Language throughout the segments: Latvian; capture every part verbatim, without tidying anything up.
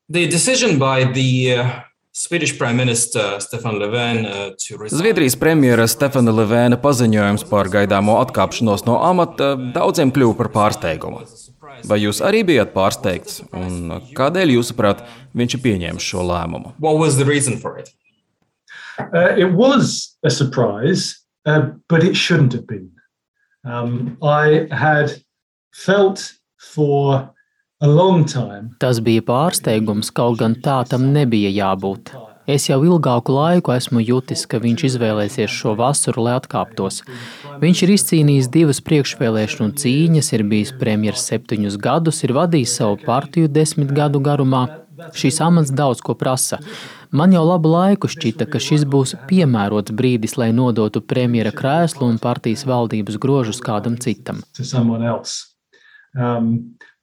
The decision by the uh, Swedish Prime Minister Stefan Löfven uh, to resign. Zviedrijas premjera Stefana Löfvena paziņojums par gaidāmo atkāpšanos no amata daudziem kļuva par pārsteigumu. Vai jūs arī bijat pārsteigts? Un kādēļ, jūsuprāt, viņš ir pieņēmis šo lēmumu? What was the reason for it? Uh, it was a surprise, uh, but it shouldn't have been. Um, I had felt for a long time. Tas bija pārsteigums, kaut gan tā tam nebija jābūt. Es jau ilgāku laiku esmu jutis, ka viņš izvēlēsies šo vasaru, lai atkāptos. Viņš ir izcīnījis divas priekšvēlēšanu cīņas, ir bijis premjers septiņus gadus, ir vadījis savu partiju desmit gadu garumā. Šīs amats daudz ko prasa. Man jau labu laiku šķita, ka šis būs piemērots brīdis, lai nodotu premjera krēslu un partijas valdības grožus kādam citam. Um,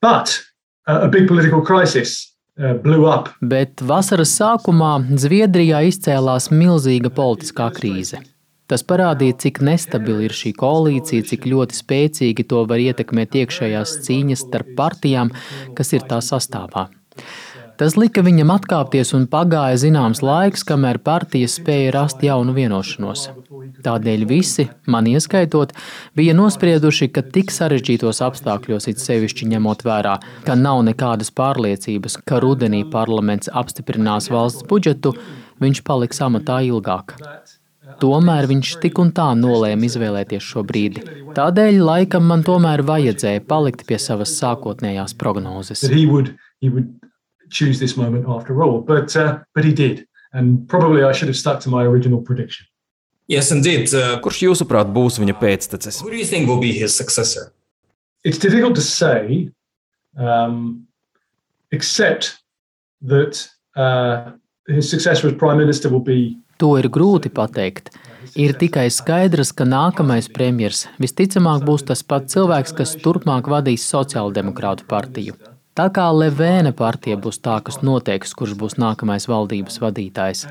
but a big political crisis uh, blew up. Bet vasaras sākumā Zviedrijā izcēlās milzīga politiskā krīze. Tas parādīja, cik nestabila ir šī koalīcija, cik ļoti spēcīgi to var ietekmēt iekšējās cīņas starp partijām, kas ir tā sastāvā. Tas lika viņam atkāpties un pagāja zināms laiks, kamēr partijas spēja rast jaunu vienošanos. Tādēļ visi, man ieskaitot, bija nosprieduši, ka tik sarežģītos apstākļos, it sevišķi ņemot vērā, ka nav nekādas pārliecības, ka rudenī parlaments apstiprinās valsts budžetu, viņš paliks amatā ilgāk. Tomēr viņš tik un tā nolēma izvēlēties šo brīdi. Tādēļ laikam man tomēr vajadzēja palikt pie savas sākotnējās prognozes. Choose this moment after all, but uh, but he did, and probably I should have stuck to my original prediction. Yes, indeed. Uh, Kurš jūsuprāt būs viņa pēctecis? Who do you think will be his successor? It's difficult to say, um, except that uh, his successor as prime minister will be. To ir grūti pateikt. Ir tikai skaidrs, ka nākamais premjers visticamāk būs tas pats cilvēks, kas turpmāk vadīs Sociāldemokrātu partiju. Tā kā Löfvena partija būs tā, kas noteiks, kurš būs nākamais valdības vadītājs.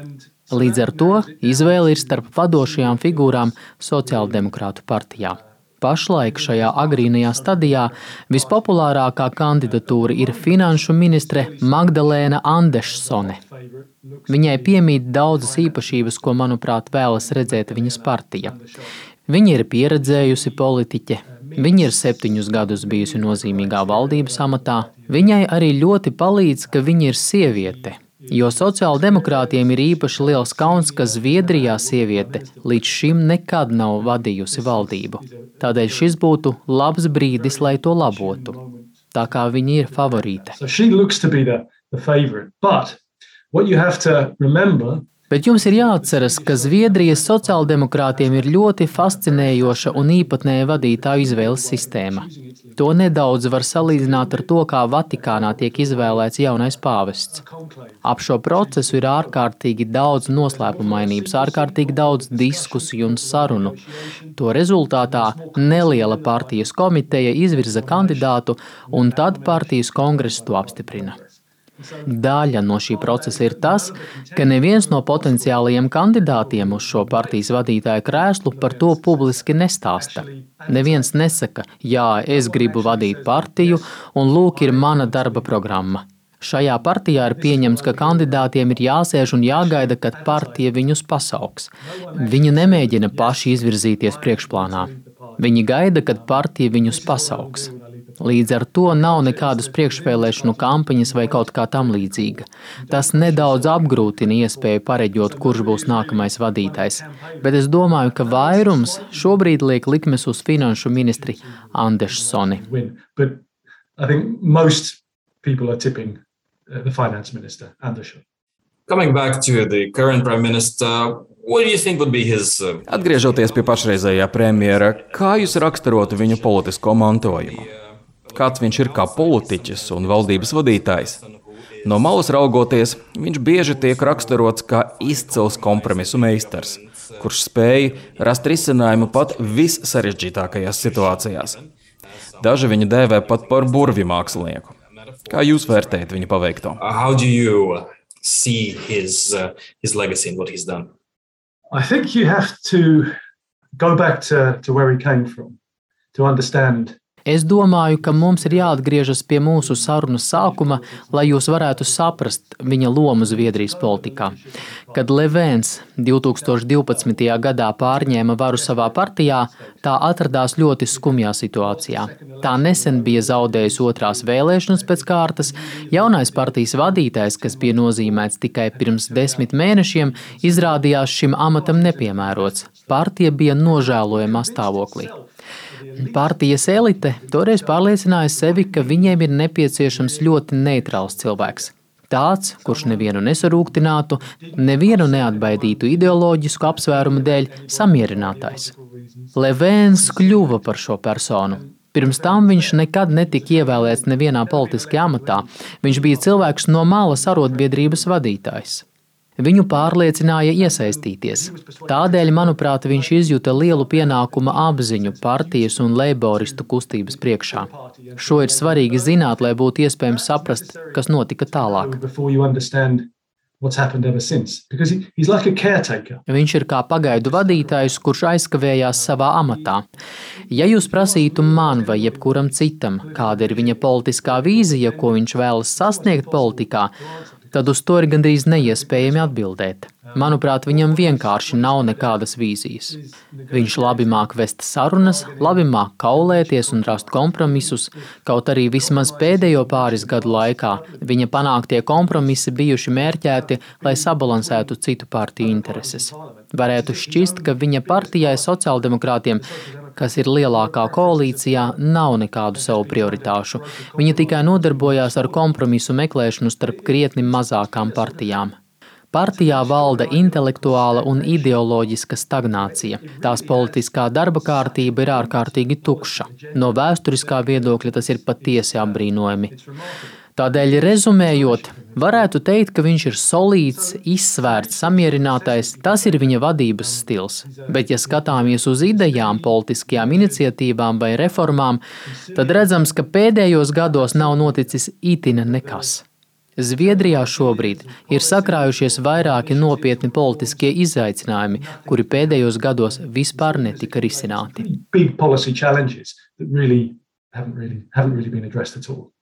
Līdz ar to izvēle ir starp vadošajām figūrām Sociāldemokrātu partijā. Pašlaik šajā agrīnajā stadijā vispopulārākā kandidatūra ir finanšu ministre Magdalēna Anderssone. Viņai piemīt daudzas īpašības, ko, manuprāt, vēlas redzēt viņas partija. Viņa ir pieredzējusi politiķe. Viņa ir septiņus gadus bijusi nozīmīgā valdības amatā. Viņai arī ļoti palīdz, ka viņa ir sieviete, jo sociāldemokrātiem ir īpaši liels kauns, ka Zviedrijā sieviete līdz šim nekad nav vadījusi valdību. Tādēļ šis būtu labs brīdis, lai to labotu. Tā kā viņa ir favorīte. So she looks to be the, the favorite, but what you have to remember. Bet jums ir jāatceras, ka Zviedrijas sociāldemokrātiem ir ļoti fascinējoša un īpatnēja vadītāju izvēles sistēma. To nedaudz var salīdzināt ar to, kā Vatikānā tiek izvēlēts jaunais pāvests. Ap šo procesu ir ārkārtīgi daudz noslēpumainības, ārkārtīgi daudz diskusiju un sarunu. To rezultātā neliela partijas komiteja izvirza kandidātu, un tad partijas kongress to apstiprina. Daļa no šī procesa ir tas, ka neviens no potenciālajiem kandidātiem uz šo partijas vadītāja krēslu par to publiski nestāsta. Neviens nesaka, jā, es gribu vadīt partiju, un lūk ir mana darba programma. Šajā partijā ir pieņemts, ka kandidātiem ir jāsēž un jāgaida, kad partija viņus pasauks. Viņi nemēģina paši izvirzīties priekšplānā. Viņi gaida, kad partija viņus pasauks. Līdz ar to nav nekādas priekšvēlēšanu kampaņas vai kaut kā tam līdzīga. Tas nedaudz apgrūtina iespēju pareģot, kurš būs nākamais vadītājs. Bet es domāju, ka vairums šobrīd liek likmes uz finanšu ministri Anderssoni. But I think most people are tipping the finance minister, Andersson. Coming back to the current prime minister, what do you think would be his... Uh... Atgriežoties pie pašreizējā premjera, kā jūs raksturotu viņu politisko mantojumu? Kāds viņš ir kā politiķis un valdības vadītājs? No malas raugoties, viņš bieži tiek raksturots kā izcils kompromisu meistars, kurš spēja rast risinājumu pat vissarežģītākajās situācijās. Daži viņu dēvē pat par burvju mākslinieku. Kā jūs vērtējat viņa paveikto? How do you see his, uh, his legacy and what he's done? I think you have to go back to, to where he came from to understand. Es domāju, ka mums ir jāatgriežas pie mūsu sarunas sākuma, lai jūs varētu saprast viņa lomu Zviedrijas politikā. Kad Levens divtūkstoš divpadsmitajā gadā pārņēma varu savā partijā, tā atradās ļoti skumjā situācijā. Tā nesen bija zaudējusi otrās vēlēšanas pēc kārtas, jaunais partijas vadītājs, kas bija nozīmēts tikai pirms desmit mēnešiem, izrādījās šim amatam nepiemērots. Partija bija nožēlojamā stāvoklī. Partijas elite toreiz pārliecināja sevi, ka viņiem ir nepieciešams ļoti neitrāls cilvēks. Tāds, kurš nevienu nesarūktinātu, nevienu neatbaidītu ideoloģisku apsvērumu dēļ, samierinātājs. Levens kļuva par šo personu. Pirms tam viņš nekad netika ievēlēts nevienā politiskajā amatā. Viņš bija cilvēks no malas arotbiedrības vadītājs. Viņu pārliecināja iesaistīties. Tādēļ, manuprāt, viņš izjuta lielu pienākuma apziņu partijas un leiboristu kustības priekšā. Šo ir svarīgi zināt, lai būtu iespējams saprast, kas notika tālāk. Viņš ir kā pagaidu vadītājs, kurš aizkavējās savā amatā. Ja jūs prasītu man vai jebkuram citam, kāda ir viņa politiskā vīzija, ko viņš vēlas sasniegt politikā, tad uz to ir gandrīz neiespējami atbildēt. Manuprāt, viņam vienkārši nav nekādas vīzijas. Viņš labi māk vest sarunas, labi māk kaulēties un rast kompromisus, kaut arī vismaz pēdējo pāris gadu laikā viņa panāktie kompromisi bijuši mērķēti, lai sabalansētu citu partiju intereses. Varētu šķist, ka viņa partijai sociāldemokrātiem, kas ir lielākā koalīcijā, nav nekādu savu prioritāšu. Viņa tikai nodarbojās ar kompromisu meklēšanu starp krietni mazākām partijām. Partijā valda intelektuāla un ideoloģiska stagnācija. Tās politiskā darba kārtība ir ārkārtīgi tukša. No vēsturiskā viedokļa tas ir patiesi apbrīnojami. Tādēļ, rezumējot, varētu teikt, ka viņš ir solīts, izsvērts, samierinātais. Tas ir viņa vadības stils. Bet, ja skatāmies uz idejām, politiskajām iniciatīvām vai reformām, tad redzams, ka pēdējos gados nav noticis itina nekas. Zviedrijā šobrīd ir sakrājušies vairāki nopietni politiskie izaicinājumi, kuri pēdējos gados vispār netika risināti. Big policy challenges that really haven't really haven't really been addressed at all.